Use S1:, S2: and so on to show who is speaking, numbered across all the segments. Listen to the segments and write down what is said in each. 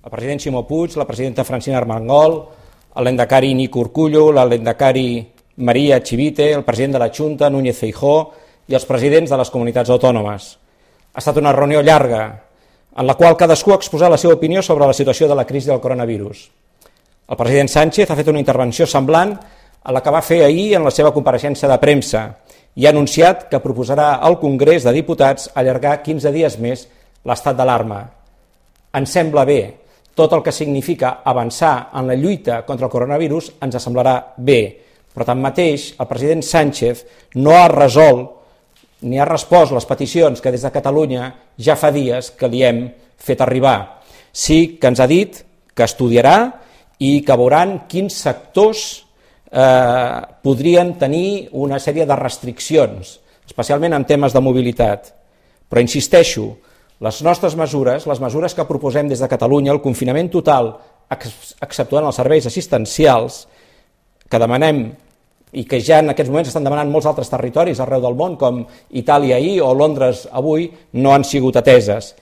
S1: el president Ximo Puig, la presidenta Francina Armengol, l'endacari Nico Urkullu, l'endacari Maria Chivite, el president de la Junta, Núñez Feijóo, i els presidents de les comunitats autònomes. Ha estat una reunió llarga, en la qual cadascú ha exposat la seva opinió sobre la situació de la crisi del coronavirus. El president Sánchez ha fet una intervenció semblant a la que va fer ahir en la seva compareixença de premsa i ha anunciat que proposarà al Congrés de Diputats allargar 15 dies més l'estat d'alarma. Ens sembla bé. Tot el que significa avançar en la lluita contra el coronavirus ens semblarà bé, però tanmateix el president Sánchez no ha resolt ni ha respost les peticions que des de Catalunya ja fa dies que li hem fet arribar. Sí que ens ha dit que estudiarà i que veuran quins sectors podrien tenir una sèrie de restriccions, especialment en temes de mobilitat. Però insisteixo, les nostres mesures, les mesures que proposem des de Catalunya, el confinament total, exceptuant els serveis assistencials, que demanem i que ja en aquests moments estan demanant molts altres territoris arreu del món, com Itàlia ahir o Londres avui, no han sigut ateses.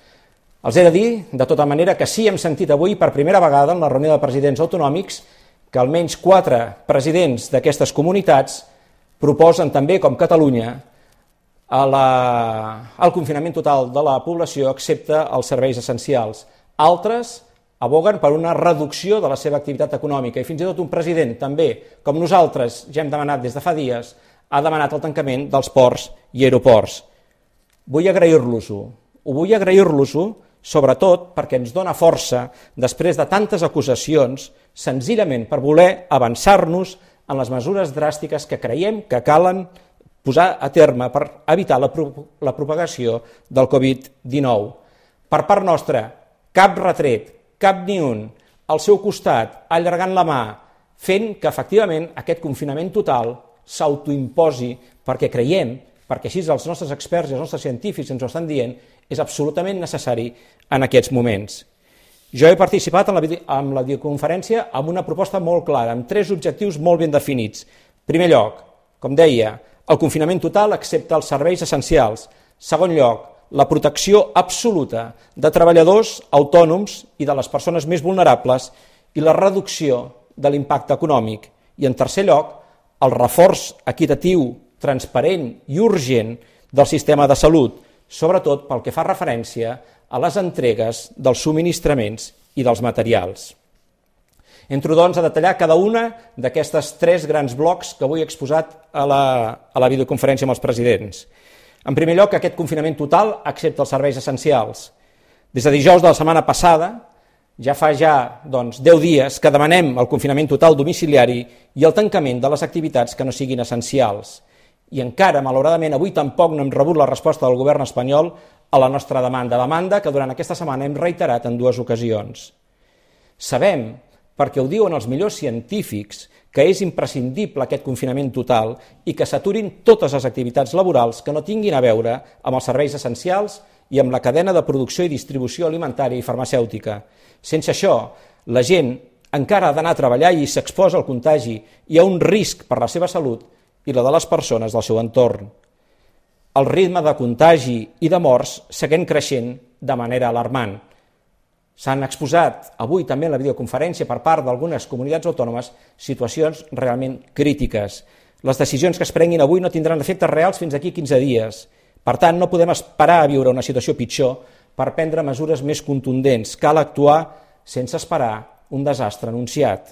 S1: Els he de dir, de tota manera, que sí hem sentit avui per primera vegada en la reunió de presidents autonòmics que almenys 4 presidents d'aquestes comunitats proposen també, com Catalunya, el confinament total de la població excepte els serveis essencials. Altres aboguen per una reducció de la seva activitat econòmica i fins i tot un president també, com nosaltres ja hem demanat des de fa dies, ha demanat el tancament dels ports i aeroports. Vull agrair-los-ho. Vull agrair-los-ho sobretot perquè ens dona força després de tantes acusacions, senzillament per voler avançar-nos en les mesures dràstiques que creiem que calen posar a terme per evitar la propagació del Covid-19. Per part nostra, cap retret, cap ni un, al seu costat, allargant la mà, fent que efectivament aquest confinament total s'autoimposi perquè creiem, perquè així els nostres experts i els nostres científics ens ho estan dient, és absolutament necessari en aquests moments. Jo he participat en la videoconferència amb una proposta molt clara, amb 3 objectius molt ben definits. En primer lloc, com deia, el confinament total excepte els serveis essencials. Segon lloc, la protecció absoluta de treballadors autònoms i de les persones més vulnerables i la reducció de l'impacte econòmic. I en tercer lloc, el reforç equitatiu, transparent i urgent del sistema de salut, sobretot pel que fa referència a les entregues dels subministraments i dels materials. Entro, doncs, a detallar cada una d'aquestes 3 grans blocs que avui he exposat a la videoconferència amb els presidents. En primer lloc, aquest confinament total excepte els serveis essencials. Des de dijous de la setmana passada, ja fa 10 dies que demanem el confinament total domiciliari i el tancament de les activitats que no siguin essencials. I encara, malauradament, avui tampoc no hem rebut la resposta del govern espanyol a la nostra demanda que durant aquesta setmana hem reiterat en 2 ocasions. Sabem, perquè ho diuen els millors científics, que és imprescindible aquest confinament total i que s'aturin totes les activitats laborals que no tinguin a veure amb els serveis essencials i amb la cadena de producció i distribució alimentària i farmacèutica. Sense això, la gent encara ha d'anar a treballar i s'exposa al contagi i a un risc per la seva salut i la de les persones del seu entorn. El ritme de contagi i de morts segueix creixent de manera alarmant. S'han exposat avui també en la videoconferència per part d'algunes comunitats autònomes situacions realment crítiques. Les decisions que es prenguin avui no tindran efectes reals fins d'aquí 15 dies. Per tant, no podem esperar a viure una situació pitjor per prendre mesures més contundents. Cal actuar sense esperar un desastre anunciat.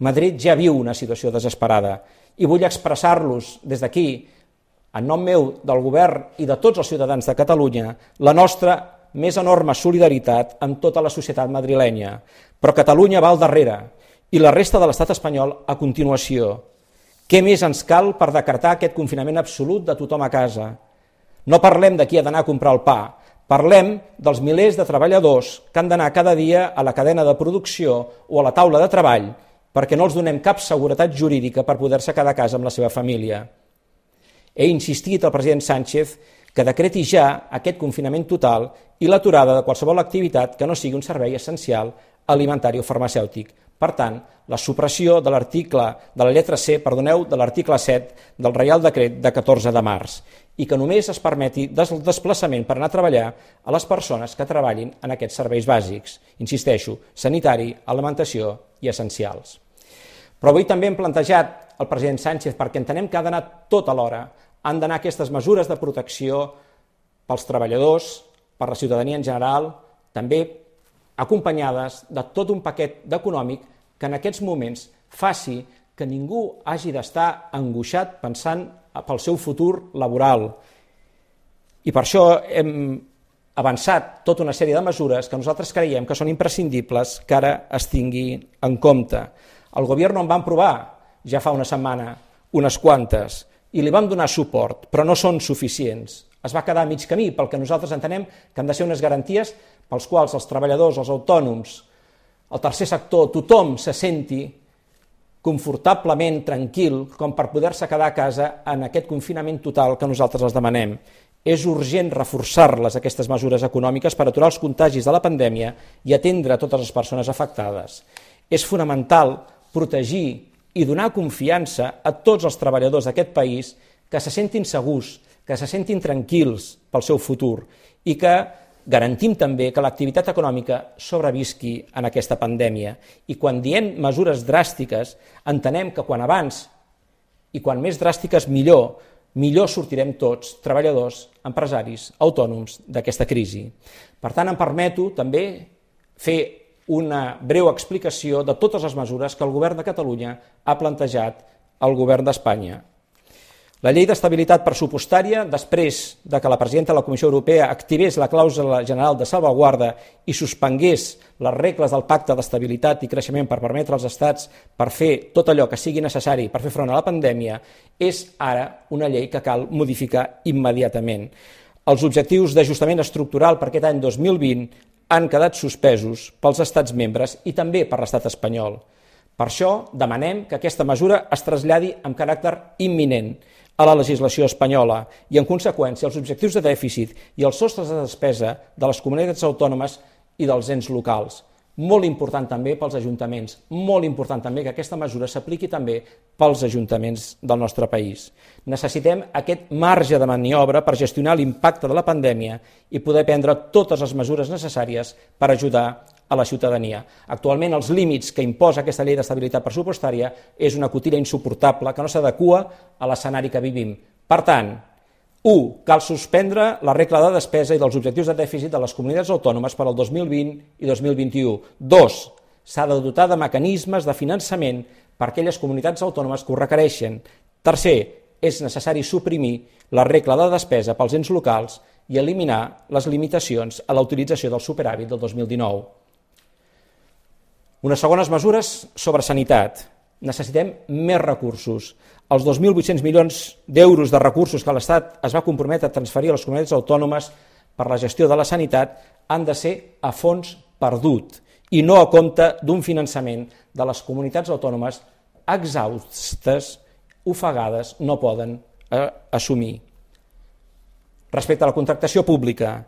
S1: Madrid ja viu una situació desesperada i vull expressar-los des d'aquí, en nom meu, del govern i de tots els ciutadans de Catalunya, la nostra més enorme solidaritat amb tota la societat madrilenya, però Catalunya va al darrere i la resta de l'estat espanyol a continuació. Què més ens cal per decretar aquest confinament absolut de tothom a casa? No parlem de qui ha d'anar a comprar el pa, parlem dels milers de treballadors que han d'anar cada dia a la cadena de producció o a la taula de treball perquè no els donem cap seguretat jurídica per poder-se quedar a casa amb la seva família. He insistit al president Sánchez que decreti ja aquest confinament total i l'aturada de qualsevol activitat que no sigui un servei essencial alimentari o farmacèutic. Per tant, la supressió de l'article, de la lletra C, de l'article 7 del Reial Decret de 14 de març. i que només es permeti el desplaçament per anar a treballar a les persones que treballin en aquests serveis bàsics, insisteixo, sanitari, alimentació i essencials. Però avui també hem plantejat al president Sánchez, perquè entenem que ha d'anar tot alhora, han d'anar aquestes mesures de protecció pels treballadors, per la ciutadania en general, també acompanyades de tot un paquet econòmic que en aquests moments faci que ningú hagi d'estar angoixat pensant pel seu futur laboral. I per això hem avançat tota una sèrie de mesures que nosaltres creiem que són imprescindibles que ara es tingui en compte. El govern en va aprovar ja fa una setmana unes quantes i li vam donar suport, però no són suficients. Es va quedar a mig camí pel que nosaltres entenem que han de ser unes garanties pels quals els treballadors, els autònoms, el tercer sector, tothom se senti confortablement tranquil com per poder-se quedar a casa en aquest confinament total que nosaltres els demanem. És urgent reforçar-les, aquestes mesures econòmiques, per aturar els contagis de la pandèmia i atendre totes les persones afectades. És fonamental protegir i donar confiança a tots els treballadors d'aquest país que se sentin segurs, que se sentin tranquils pel seu futur i que garantim també que l'activitat econòmica sobrevisqui en aquesta pandèmia. I quan diem mesures dràstiques, entenem que quan abans i quan més dràstiques millor sortirem tots, treballadors, empresaris, autònoms, d'aquesta crisi. Per tant, em permeto també fer una breu explicació de totes les mesures que el govern de Catalunya ha plantejat al govern d'Espanya. La llei d'estabilitat pressupostària, després de que la presidenta de la Comissió Europea activés la clàusula general de salvaguarda i suspengués les regles del pacte d'estabilitat i creixement per permetre als estats per fer tot allò que sigui necessari per fer front a la pandèmia, és ara una llei que cal modificar immediatament. Els objectius d'ajustament estructural per aquest any 2020 han quedat suspesos pels estats membres i també per l'estat espanyol. Per això demanem que aquesta mesura es traslladi amb caràcter imminent a la legislació espanyola i, en conseqüència, els objectius de dèficit i els sostres de despesa de les comunitats autònomes i dels ens locals. Molt important també pels ajuntaments, molt important també que aquesta mesura s'apliqui també pels ajuntaments del nostre país. Necessitem aquest marge de maniobra per gestionar l'impacte de la pandèmia i poder prendre totes les mesures necessàries per ajudar a la ciutadania. Actualment els límits que imposa aquesta llei d'estabilitat pressupostària és una cotilla insuportable que no s'adequa a l'escenari que vivim. Per tant, 1. Cal suspendre la regla de despesa i dels objectius de dèficit de les comunitats autònomes per al 2020 i 2021. 2. S'ha de dotar de mecanismes de finançament per a aquelles comunitats autònomes que ho requereixen. 3. És necessari suprimir la regla de despesa pels ens locals i eliminar les limitacions a la utilització del superàvit del 2019. Unes segones mesures sobre sanitat. Necessitem més recursos. Els 2.800 milions d'euros de recursos que l'Estat es va comprometre a transferir a les comunitats autònomes per la gestió de la sanitat han de ser a fons perdut i no a compte d'un finançament de les comunitats autònomes exhaustes, ofegades, no poden assumir. Respecte a la contractació pública,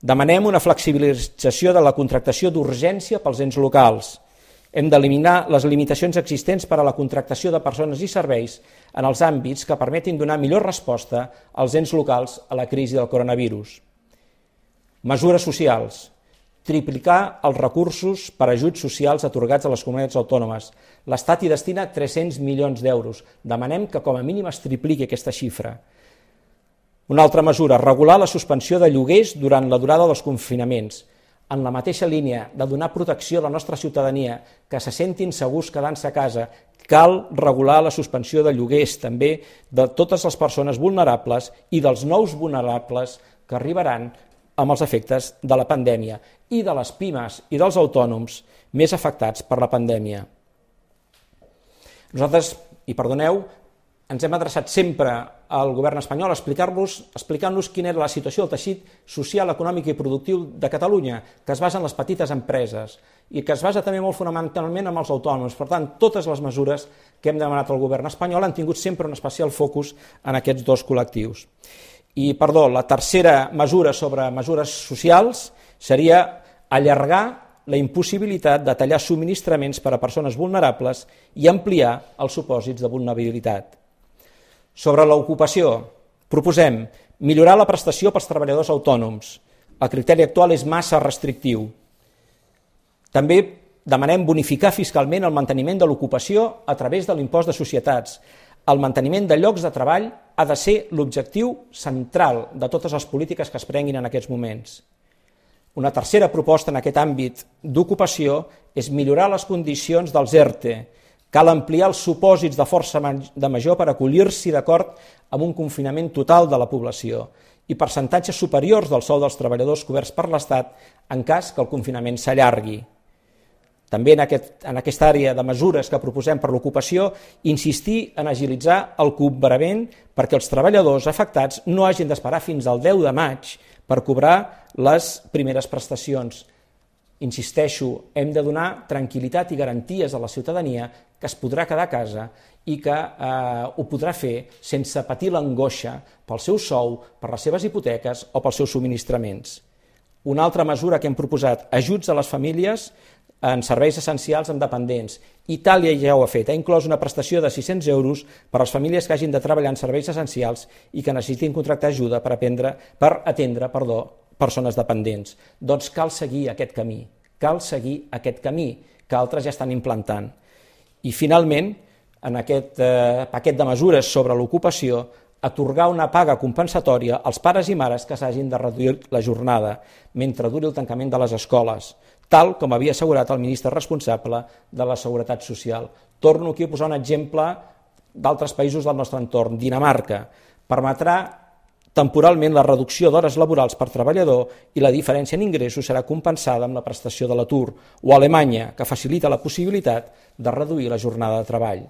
S1: demanem una flexibilització de la contractació d'urgència pels ens locals. Hem d'eliminar les limitacions existents per a la contractació de persones i serveis en els àmbits que permetin donar millor resposta als ens locals a la crisi del coronavirus. Mesures socials. Triplicar els recursos per a ajuts socials atorgats a les comunitats autònomes. L'Estat hi destina 300 milions d'euros. Demanem que com a mínim es tripliqui aquesta xifra. Una altra mesura, regular la suspensió de lloguers durant la durada dels confinaments. En la mateixa línia de donar protecció a la nostra ciutadania, que se sentin segurs quedant-se a casa, cal regular la suspensió de lloguers també de totes les persones vulnerables i dels nous vulnerables que arribaran amb els efectes de la pandèmia i de les pimes i dels autònoms més afectats per la pandèmia. Nosaltres, i perdoneu, ens hem adreçat sempre al govern espanyol explicant-nos quina era la situació del teixit social, econòmic i productiu de Catalunya, que es basa en les petites empreses i que es basa també molt fonamentalment en els autònoms. Per tant, totes les mesures que hem demanat al govern espanyol han tingut sempre un especial focus en aquests dos col·lectius. I, la tercera mesura sobre mesures socials seria allargar la impossibilitat de tallar subministraments per a persones vulnerables i ampliar els supòsits de vulnerabilitat. Sobre l'ocupació, Proposem millorar la prestació pels treballadors autònoms. El criteri actual és massa restrictiu. També demanem bonificar fiscalment el manteniment de l'ocupació a través de l'impost de societats. El manteniment de llocs de treball ha de ser l'objectiu central de totes les polítiques que es prenguin en aquests moments. Una tercera proposta en aquest àmbit d'ocupació és millorar les condicions dels ERTE. Cal ampliar els supòsits de força de major per acollir-s'hi d'acord amb un confinament total de la població i percentatges superiors del sou dels treballadors coberts per l'Estat en cas que el confinament s'allargui. També en aquesta àrea de mesures que proposem per l'ocupació, insistir en agilitzar el cobrament perquè els treballadors afectats no hagin d'esperar fins al 10 de maig per cobrar les primeres prestacions. Insisteixo, hem de donar tranquil·litat i garanties a la ciutadania que es podrà quedar a casa i que ho podrà fer sense patir l'angoixa pel seu sou, per les seves hipoteques o pels seus subministraments. Una altra mesura que hem proposat, ajuts a les famílies en serveis essencials amb dependents. Itàlia ja ho ha fet, ha inclòs una prestació de 600 euros per a les famílies que hagin de treballar en serveis essencials i que necessitin contractar ajuda per atendre persones dependents. Doncs cal seguir aquest camí que altres ja estan implantant. I finalment, en aquest paquet de mesures sobre l'ocupació, atorgar una paga compensatòria als pares i mares que s'hagin de reduir la jornada mentre duri el tancament de les escoles, tal com havia assegurat el ministre responsable de la Seguretat Social. Torno aquí a posar un exemple d'altres països del nostre entorn. Dinamarca permetrà temporalment la reducció d'hores laborals per treballador i la diferència en ingressos serà compensada amb la prestació de l'atur, o Alemanya, que facilita la possibilitat de reduir la jornada de treball.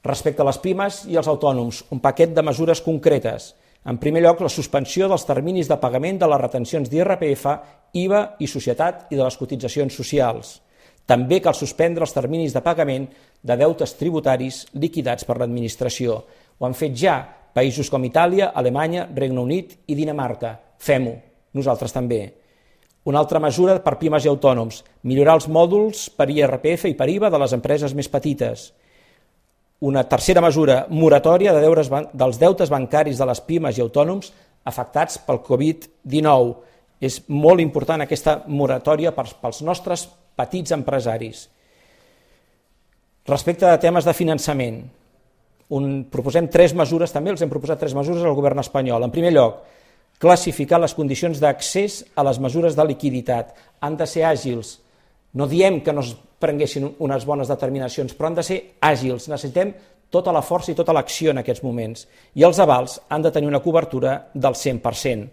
S1: Respecte a les pimes i els autònoms, un paquet de mesures concretes. En primer lloc, la suspensió dels terminis de pagament de les retencions d'IRPF, IVA i societat i de les cotitzacions socials. També cal suspendre els terminis de pagament de deutes tributaris liquidats per l'administració. Ho han fet ja països com Itàlia, Alemanya, Regne Unit i Dinamarca. Fem-ho, nosaltres també. Una altra mesura per pimes i autònoms, millorar els mòduls per IRPF i per IVA de les empreses més petites. Una tercera mesura, moratòria dels deutes bancaris de les pimes i autònoms afectats pel Covid-19. És molt important aquesta moratòria pels nostres petits empresaris. Respecte a temes de finançament, proposem 3 mesures, també els hem proposat 3 mesures al govern espanyol. En primer lloc, classificar les condicions d'accés a les mesures de liquiditat. Han de ser àgils. No diem que no es prenguessin unes bones determinacions, però han de ser àgils. Necessitem tota la força i tota l'acció en aquests moments. I els avals han de tenir una cobertura del 100%.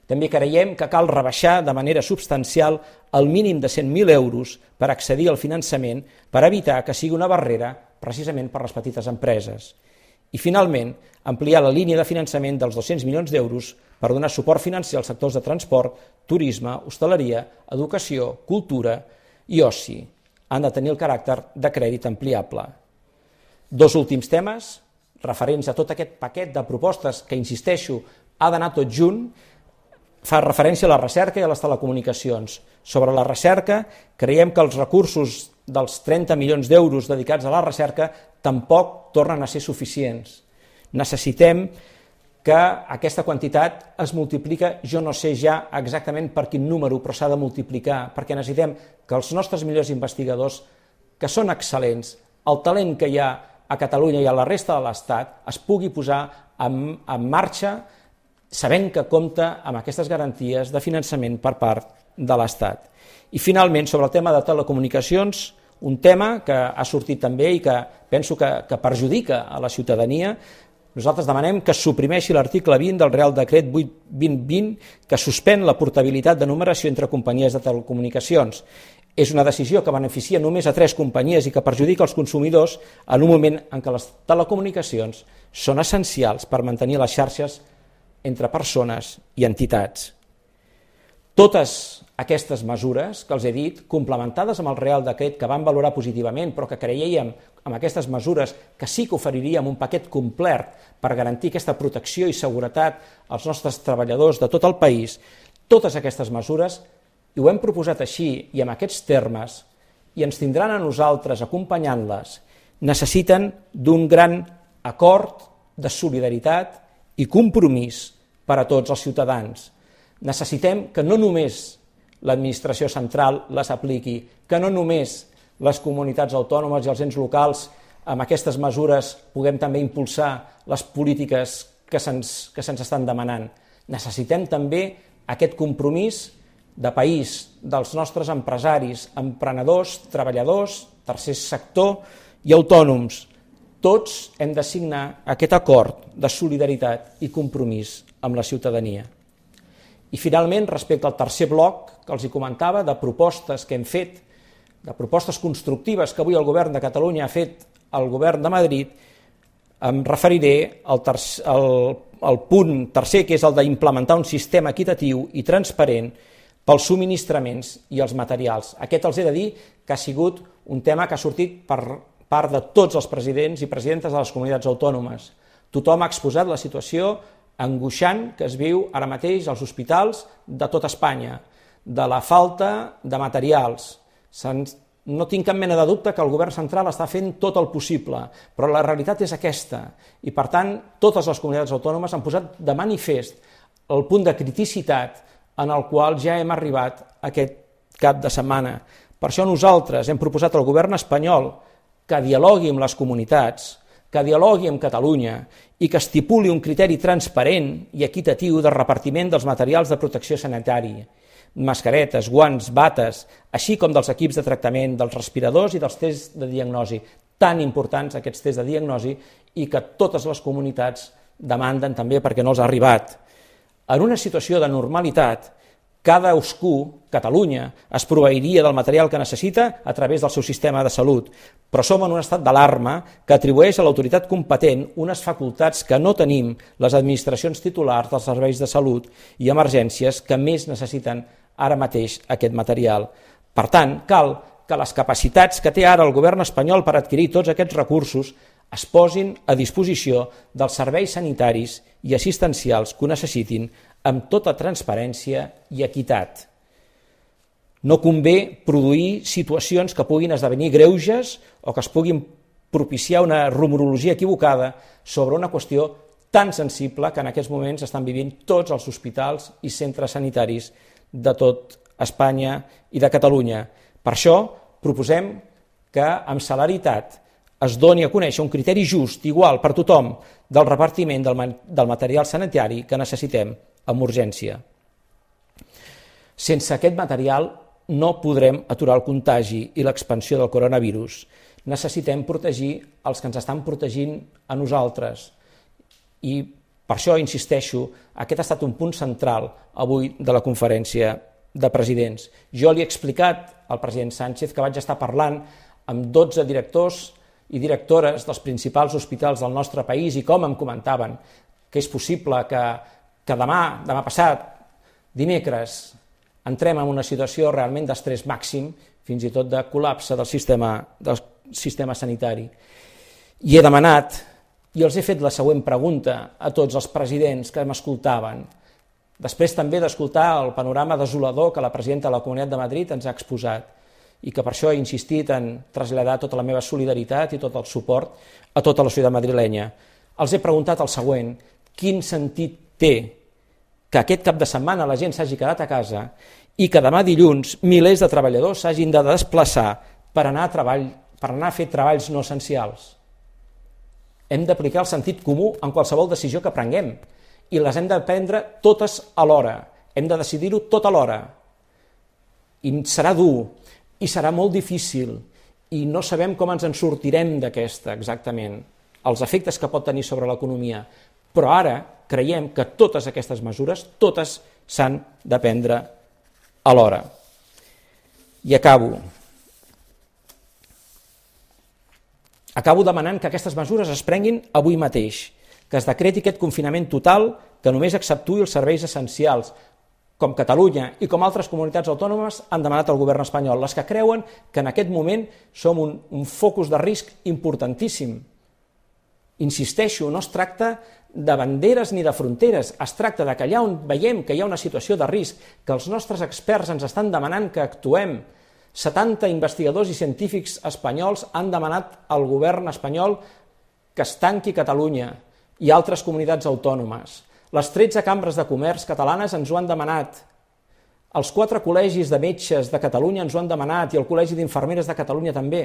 S1: També creiem que cal rebaixar de manera substancial el mínim de 100.000 euros per accedir al finançament per evitar que sigui una barrera precisament per les petites empreses. I finalment, ampliar la línia de finançament dels 200 milions d'euros per donar suport financer als sectors de transport, turisme, hostaleria, educació, cultura i oci. Han de tenir el caràcter de crèdit ampliable. 2 últims temes, referents a tot aquest paquet de propostes que, insisteixo, ha d'anar tot junt, fa referència a la recerca i a les telecomunicacions. Sobre la recerca, creiem que els recursos dels 30 milions d'euros dedicats a la recerca tampoc tornen a ser suficients. Necessitem que aquesta quantitat es multiplica, jo no sé ja exactament per quin número, però s'ha de multiplicar, perquè necessitem que els nostres millors investigadors, que són excel·lents, el talent que hi ha a Catalunya i a la resta de l'Estat, es pugui posar en marxa sabent que compta amb aquestes garanties de finançament per part de l'Estat. I finalment, sobre el tema de telecomunicacions, un tema que ha sortit també i que penso que perjudica a la ciutadania. Nosaltres demanem que es suprimeixi l'article 20 del Real Decret 8/2020 que suspèn la portabilitat de numeració entre companyies de telecomunicacions. És una decisió que beneficia només a 3 companyies i que perjudica els consumidors en un moment en què les telecomunicacions són essencials per mantenir les xarxes entre persones i entitats. Totes aquestes mesures que els he dit, complementades amb el Real Decret que van valorar positivament, però que creiem amb aquestes mesures que sí que oferiríem un paquet complet per garantir aquesta protecció i seguretat als nostres treballadors de tot el país, totes aquestes mesures, i ho hem proposat així i en aquests termes, i ens tindran a nosaltres acompanyant-les, necessiten d'un gran acord de solidaritat i compromís per a tots els ciutadans. Necessitem que no només l'administració central les apliqui, que no només les comunitats autònomes i els ens locals amb aquestes mesures puguem també impulsar les polítiques que se'ns estan demanant. Necessitem també aquest compromís de país dels nostres empresaris, emprenedors, treballadors, tercer sector i autònoms. Tots hem de signar aquest acord de solidaritat i compromís amb la ciutadania. I finalment, respecte al tercer bloc que els comentava, de propostes que hem fet, de propostes constructives que avui el govern de Catalunya ha fet al govern de Madrid, em referiré al punt tercer, que és el d'implementar un sistema equitatiu i transparent pels subministraments i els materials. Aquest els he de dir que ha sigut un tema que ha sortit per part de tots els presidents i presidentes de les comunitats autònomes. Tothom ha exposat la situació angoixant que es viu ara mateix als hospitals de tot Espanya, de la falta de materials. No tinc cap mena de dubte que el govern central està fent tot el possible, però la realitat és aquesta i, per tant, totes les comunitats autònomes han posat de manifest el punt de criticitat en el qual ja hem arribat aquest cap de setmana. Per això nosaltres hem proposat al govern espanyol que dialogui amb les comunitats, que dialogui amb Catalunya i que estipuli un criteri transparent i equitatiu de repartiment dels materials de protecció sanitària, mascaretes, guants, bates, així com dels equips de tractament, dels respiradors i dels tests de diagnosi, tan importants aquests tests de diagnosi i que totes les comunitats demanden també perquè no els ha arribat. En una situació de normalitat, cadascú, Catalunya, es proveiria del material que necessita a través del seu sistema de salut, però som en un estat d'alarma que atribueix a l'autoritat competent unes facultats que no tenim les administracions titulars dels serveis de salut i emergències que més necessiten ara mateix aquest material. Per tant, cal que les capacitats que té ara el govern espanyol per adquirir tots aquests recursos es posin a disposició dels serveis sanitaris i assistencials que ho necessitin amb tota transparència i equitat. No convé produir situacions que puguin esdevenir greuges o que es puguin propiciar una rumorologia equivocada sobre una qüestió tan sensible que en aquests moments estan vivint tots els hospitals i centres sanitaris de tot Espanya i de Catalunya. Per això proposem que amb celeritat es doni a conèixer un criteri just, igual per tothom, del repartiment del material sanitari que necessitem amb urgència. Sense aquest material no podrem aturar el contagi i l'expansió del coronavirus. Necessitem protegir els que ens estan protegint a nosaltres. I per això insisteixo, aquest ha estat un punt central avui de la conferència de presidents. Jo li he explicat al president Sánchez que vaig estar parlant amb 12 directors i directores dels principals hospitals del nostre país i com em comentaven que és possible que demà passat, dimecres, entrem en una situació realment d'estrès màxim, fins i tot de col·lapse del sistema sanitari. I he demanat, i els he fet la següent pregunta a tots els presidents que m'escoltaven, després també d'escoltar el panorama desolador que la presidenta de la Comunitat de Madrid ens ha exposat, i que per això he insistit en traslladar tota la meva solidaritat i tot el suport a tota la societat madrilenya. Els he preguntat el següent: quin sentit té que aquest cap de setmana la gent s'hagi quedat a casa i que demà dilluns milers de treballadors s'hagin de desplaçar per anar a fer treballs no essencials? Hem d'aplicar el sentit comú en qualsevol decisió que prenguem i les hem de prendre totes alhora. Hem de decidir-ho tot alhora. I serà dur, i serà molt difícil, i no sabem com ens en sortirem d'aquesta exactament, els efectes que pot tenir sobre l'economia. Però ara creiem que totes aquestes mesures, totes s'han de prendre alhora. I acabo. Acabo demanant que aquestes mesures es prenguin avui mateix, que es decreti aquest confinament total que només exceptuï els serveis essencials, com Catalunya i com altres comunitats autònomes han demanat al govern espanyol, les que creuen que en aquest moment som un focus de risc importantíssim. Insisteixo, no es tracta de banderes ni de fronteres, es tracta de que allà on veiem que hi ha una situació de risc, que els nostres experts ens estan demanant que actuem. 70 investigadors i científics espanyols han demanat al govern espanyol que es tanqui Catalunya i altres comunitats autònomes. Les 13 cambres de comerç catalanes ens ho han demanat. Els 4 col·legis de metges de Catalunya ens ho han demanat i el Col·legi d'Infermeres de Catalunya també.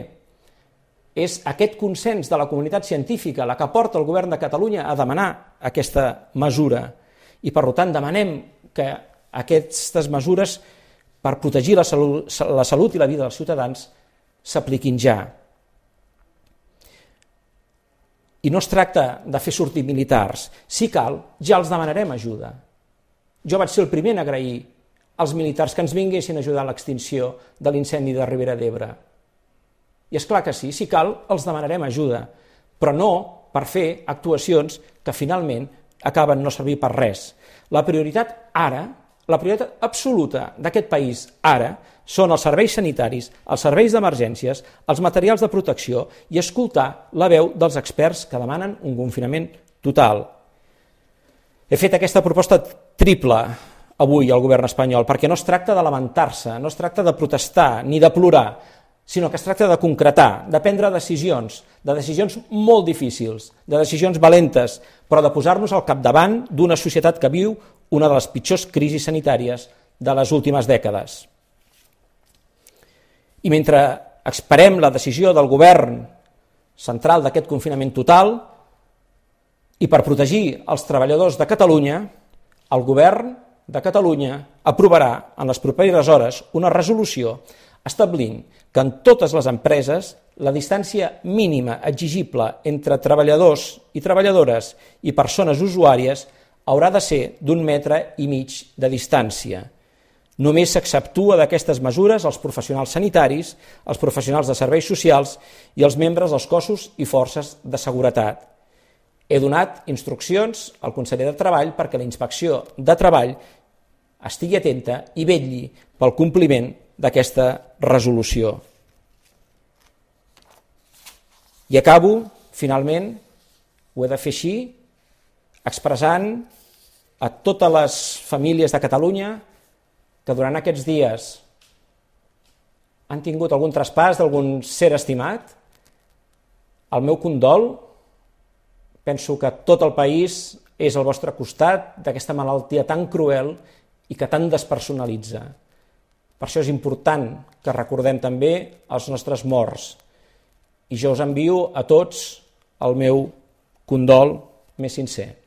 S1: És aquest consens de la comunitat científica la que porta el govern de Catalunya a demanar aquesta mesura. I per tant demanem que aquestes mesures per protegir la salut i la vida dels ciutadans s'apliquin ja. I no es tracta de fer sortir militars. Si cal, ja els demanarem ajuda. Jo vaig ser el primer en agrair als militars que ens vinguessin a ajudar a l'extinció de l'incendi de Ribera d'Ebre. I és clar que sí, si cal, els demanarem ajuda, però no per fer actuacions que finalment acaben no servir per res. La prioritat ara, la prioritat absoluta d'aquest país ara, són els serveis sanitaris, els serveis d'emergències, els materials de protecció i escoltar la veu dels experts que demanen un confinament total. He fet aquesta proposta triple avui al govern espanyol perquè no es tracta de lamentar-se, no es tracta de protestar ni de plorar, sinó que es tracta de concretar, de prendre decisions, de decisions molt difícils, de decisions valentes, però de posar-nos al capdavant d'una societat que viu una de les pitjors crisis sanitàries de les últimes dècades. I mentre esperem la decisió del govern central d'aquest confinament total i per protegir els treballadors de Catalunya, el govern de Catalunya aprovarà en les properes hores una resolució establint que en totes les empreses la distància mínima exigible entre treballadors i treballadores i persones usuàries haurà de ser d'1,5 metres de distància. Només s'exceptua d'aquestes mesures els professionals sanitaris, els professionals de serveis socials i els membres dels cossos i forces de seguretat. He donat instruccions al conseller de Treball perquè la Inspecció de Treball estigui atenta i vetlli pel compliment d'aquesta resolució. I acabo, finalment, ho he de fer així, expressant a totes les famílies de Catalunya que durant aquests dies han tingut algun traspàs d'algun ser estimat, el meu condol. Penso que tot el país és al vostre costat d'aquesta malaltia tan cruel i que tan despersonalitza. Per això és important que recordem també els nostres morts. I jo us envio a tots el meu condol més sincer.